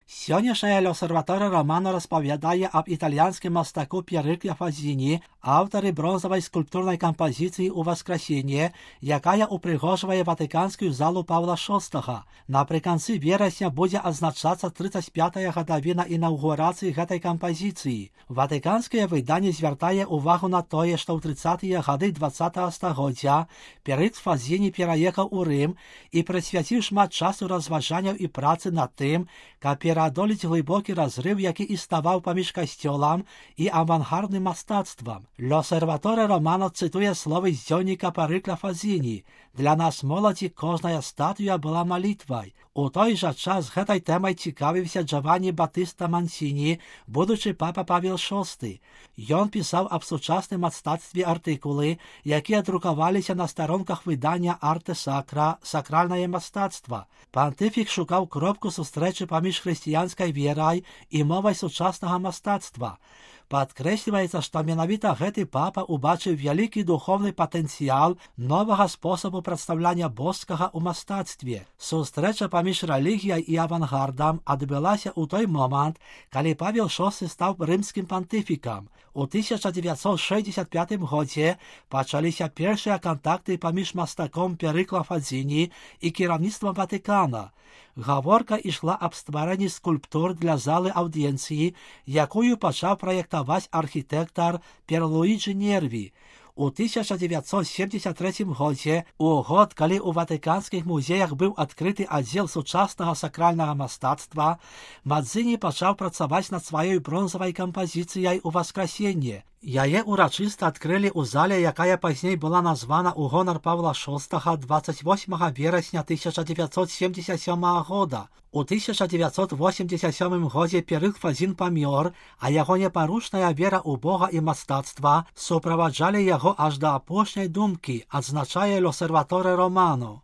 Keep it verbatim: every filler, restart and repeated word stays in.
Сённяшняя L'Osservatore Romano розповідає об італійському мастаку П'єриклі Фазіні, авторі бронзової скульптурної композиції «У Воскресіння», яка упригожує Ватиканську залу Павла шостого. Наприкінці вересня буде означатися тридцять п'ята годовина інаугурації цієї композиції. Ватиканське видання звертає увагу на те, що в тридцяті годи двадцятого століття П'єрикл Фазіні переїхав у Рим і присвятив шмат часу розважанням і праці над тим, як переодоліть глибокий розрив, який існував поміж костюлом і авангардним мистецтвом. L'Osservatore Romano цитує слова з дзьонника П'єрикла Фазіні: «Для нас, молоді, кожна статуя була молитвою». У той же час цією темою цікавився Джованні Батиста Мансіні, будучи папа Павел шостий. Він писав об сучасному мистецтві артикули, які друкувалися на сторонках видання «Арте Сакра» «Сакральне мистецтво». Понтифік шукав кропку зустрічі поміж християнською вірою і мовою сучасного мистецтва. Підкреслюється, що менавіта гэты папа убачив великий духовний потенціал нового способу представлення боского у мистецтві. Зустріча поміж релігією і авангардом відбулася у той момент, коли Павел шостий став римським понтифіком. У тисяча дев'ятсот шістдесят п'ятому році почалися перші контакти поміж мастаком П'єриклом Фазіні і керівництвом Ватикана. Говорка йшла об створенні скульптур для зали аудієнції, яку почав проєктувати архітектор П'єрлуїджі Нерві. У тисяча дев'ятсот сімдесят третьому році, у год, коли у Ватиканських музеях був відкритий відділ сучасного сакрального мистецтва, Мадзині почав працювати над своєю бронзовою композицією «У Воскресіння». Яе урочисто відкрили у залі, яка пізніше була названа у гонор Павла шостого двадцять восьмого вересня тисяча дев'ятсот сімдесят сьомого року. У тисяча дев'ятсот вісімдесят сьомому році П'єрикл Фазін помер, а його непорушна віра у Бога і мистецтва супроводжали його аж до опошньої думки, відзначає L'Osservatore Romano.